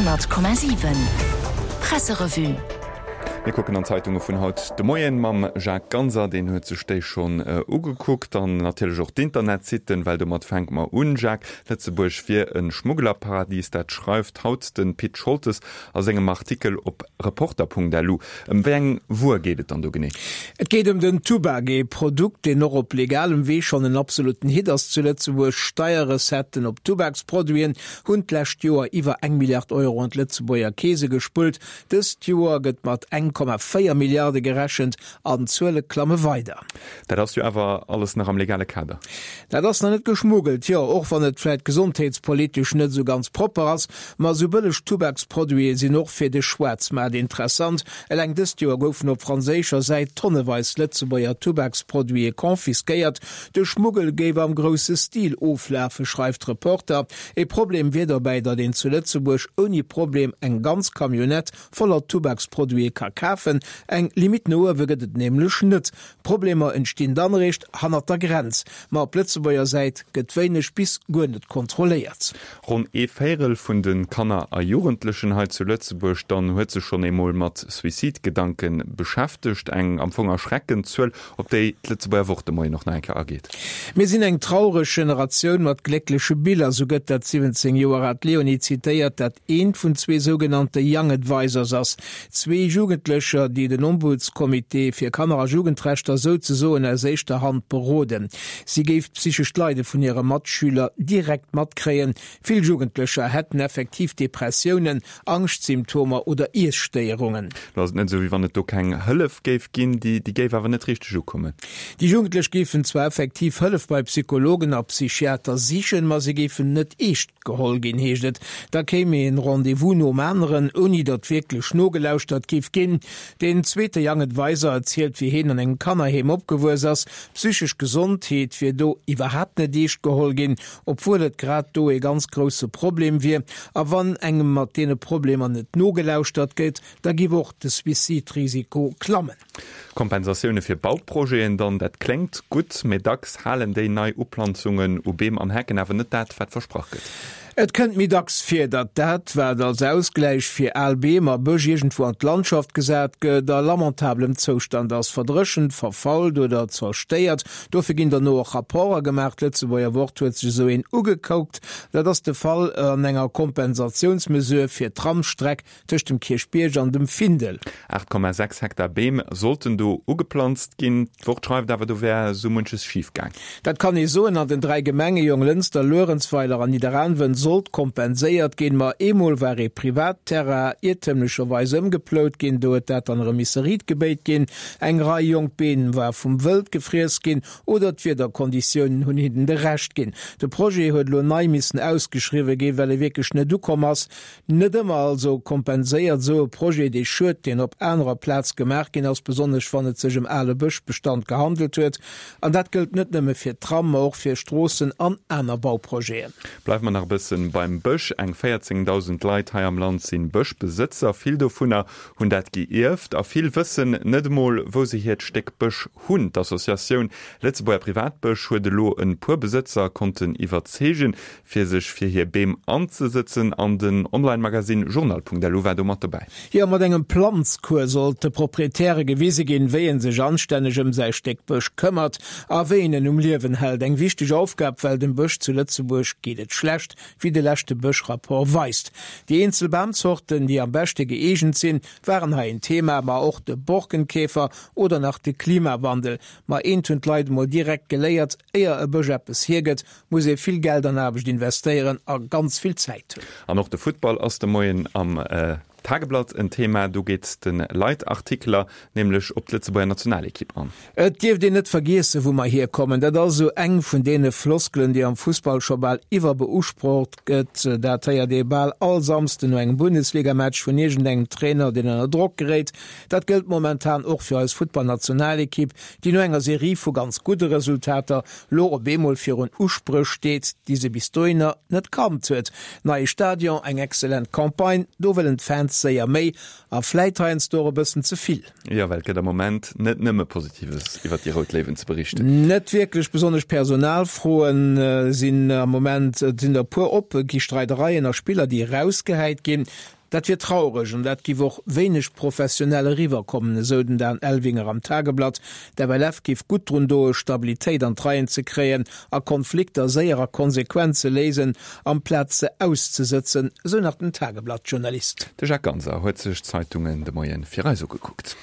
100,7 Presserevue. Mir kucken an d'Zeitunge vun haut de Moien mam Jacques Ganser, deen huet sech déi schonn ugekuckt an natierlech och d'Internetsitten, well domat fänke mer un. Jacques, Lëtzebuerg wier e Schmugglerparadies, dat schreift haut de Pit Scholtes a sengem Artikel op Reporter.lu. Ëm wéi eng Wuer geet et dann do genee? Et geet ëm den Tubak, ee Produkt, deen och op legalem Wee schonn en absolutten Hit ass zu Lëtzebuerg. Steierrecetten op Tubaksproduiten hunn d'lescht Joer iwwer eng Milliard Euro an d'Lëtzebuerger Keese gespullt. Dëst Joer gëtt mat 1,4 Milliarde gerechent an d'Zuele klamme weider. Dat ass jo awer alles nach am legale Kader. Dat ass nach net geschmuggelt, jo, och wann et vläit gesondheetspolitesch net esou ganz propper ass. Ma esou bëlleg Tubaksproduite sinn och fir de Schwaarzmaart interessant. Eleng dëst Joer goufen op franséischer Säit tonneweis Lëtzebuerger Tubaksproduite confisquéiert. De Schmuggel géif am grousse Stil oflafen, schreift Reporter. E Problem wier dobäi, datt een zu Lëtzebuerg ouni Problem eng ganz Camionnette voller Tubaksproduite ka kafen. Eng Limitt no uewe gëtt et nämlech net. Problemer entstinn dann eréischt hannert der Grenz. Ma op Lëtzebuerger Säit gëtt wéineg bis guer net kontrolléiert. Ronn ee Véirel vun de Kanner a Jugendlechen hei zu Lëtzebuerg dann huet sech schonn eemol mat Suicidegedanke beschäftegt. Eng am Fong erschreckend Zuel, op déi d'Lëtzebuerger Wort de Moien och nach eng Kéier ageet. Mir sinn eng traureg Generatioun mat gléckleche Biller, sou gëtt dat 17 Joer aalt Leonie zitéiert, dat eent vun zwee sougenannte Young Advisors ass. Zwee Jugendlecher, déi den Ombudscomité fir Kanner a Jugendrechter souzesoen aus éischter Hand beroden. Si géif d'psychescht Leide vun hire Matschüler direkt matkréien. Vill Jugendlecher hätten effektiv Depressiounen, Angschtsymptomer oder Iesstéierungen. Lo ass et net esou, wéi wann et do keng Hëllef géif ginn, déi géif awer net richteg ukommen. Déi Jugendlech géifen zwar effektiv Hëllef bei Psychologen a Psychiater sichen, ma se géifen net eescht geholl ginn, heescht et. Da kéim een Rendez-vous nom aneren, ouni datt wierklech nogelauschtert géif ginn. Deen zweete Young Advisor erzielt, wéi heen an engem Kannerheem opgewuess ass. D'psychesch Gesondheet wier do iwwerhaapt net eescht geholl ginn, obwuel et grad do ee ganz grousse Problem wier. A wann engem mat deene Problemer net nogelauschtert gëtt, da giff och de Suicide-Risiko klammen. Kompensatioune fir Bauprojeten dann, dat kléngt gutt, mee dacks halen déi nei Uplanzungen u Beem an Hecken awer net dat, wat versprach gëtt. Et kënnt méi dacks vir, datt dat, wat als Ausgläich fir al Beem a Bësch iergendwou an d'Landschaft gesat gëtt, a lamentablem Zoustand ass, verdréchent, verfault oder zerstéiert. Dofir ginn derno och Rapporter gemaach. D'Lëtzebuerger Wort huet sech esou een ugekoukt. Dat ass de Fall an enger Kompensatiounsmesure fir d'Tramsstreck Tëscht dem Kierchbierg an dem Findel. 8,6 Hektar Beem sollten do ugeplanzt ginn. D'Wort schreift awer, do wär esou munches schif gaang. Dat kann ee soen. An den 3 Gemenge Jonglënster, Luerenzweiler an Nidderaanwen sollt kompenséiert ginn. Ma eemol war ee Privatterrain iertëmlecherweis ëmgeplout ginn. Do huet dat dann erëm misse riit gebéit ginn. Eng Rei jonk Beem war vum Wëld gefriess ginn oder d'Wiederkonditiounen hunn hinnen de Rescht ginn. De Projet huet elo nei missen ausgeschriwwe ginn, well e wierklech net ukomm ass. Net ëmmer also kompenséiert esou e Projet dee Schued, deen op anerer Plaz gemaach ginn ass, besonnesch wann et sech ëm ale Bëschbestand gehandelt huet. An dat gëllt net nëmme fir d'Tram, ma och fir Stroossen an aner Bauprojeten. Bleiwe mer nach e bëssen beim Bësch. Eng 14.000 Leit hei am Land si Bëschbesëtzer. Vill dovunner hunn dat geierft a vill wëssen net emol, wou se hiert Stéck Bësch hunn. D'Associatioun Lëtzebuerger Privatbësch huet elo e puer Besëtzer konnten iwwerzeegen, fir sech fir hir Beem anzesëtzen an den Online-Magasinn Journal.lu war do mat dobäi. Jo, mat engem Planzcours sollt de Proprietäre gewise ginn, wéi ee sech anstänneg ëm säi Stéck Bësch këmmert a wéi een en um Liewen hält. Eng wichteg Aufgab, well dem Bësch zu Lëtzebuerg geet et schlecht, wéi de leschte Bëschrapport weist. Déi eenzel Bamzorten, déi am beschte gëeegent sinn, waren hei en Thema, ma och de Borkenkäfer oder nach de Klimawandel. Ma eent hunn d'Leit emol direkt geléiert, Éier e Bësch eppes hiergëtt, muss ee vill Geld an Aarbecht investéieren a ganz vill Zäit hunn. An och de Futtball ass de Moien am Tageblatt en Thema. Do geet de Leitartikler nämlech op d'Lëtzebuerger Nationalekipp an. Et dierft een net vergiessen, wou mer hierkommen. Dat ass esou eng vun deene Floskelen, déi am Fussball scho bal iwwerbeusprocht gëtt. Dat héiert ee bal all Samsden no engem Bundesligamatch vun iergendengem Trainer, deen ënner Drock geréit. Dat gëllt momentan och fir eis Futtballnationalekipp, déi no enger Serie vu ganz gudde Resultater lo op eemol virun Uspréch steet, déi se bis dohinner net kannt huet. Neie Stadion, eng excellent Campagne, do wëllen d'Fans. ganz séier méi a vläit heiansdo och e bëssen ze vill. Jo, well et gëtt am Moment net nëmme Positives iwwer déi Rout Léiwen ze berichten. Net wierklech, besonnesch Personalfroen sinn am Moment, et sinn der e puer op, et gi Streidereien a Spiller, déi erausgehäit ginn. Dat wier traureg an dat giff och wéineg professionell eriwwer kommen, esou den Dan Elvinger am Tageblatt. D'FLF giff gutt drun doe Stabilitéit an d'Reien ze kréien a Konflikter séier a konsequent ze léisen, amplaz se auszesëtzen, esou nach den Tageblatt-Journalist. De Jacques Ganser huet sech d'Zeitungen de Moien fir eis ugekuckt.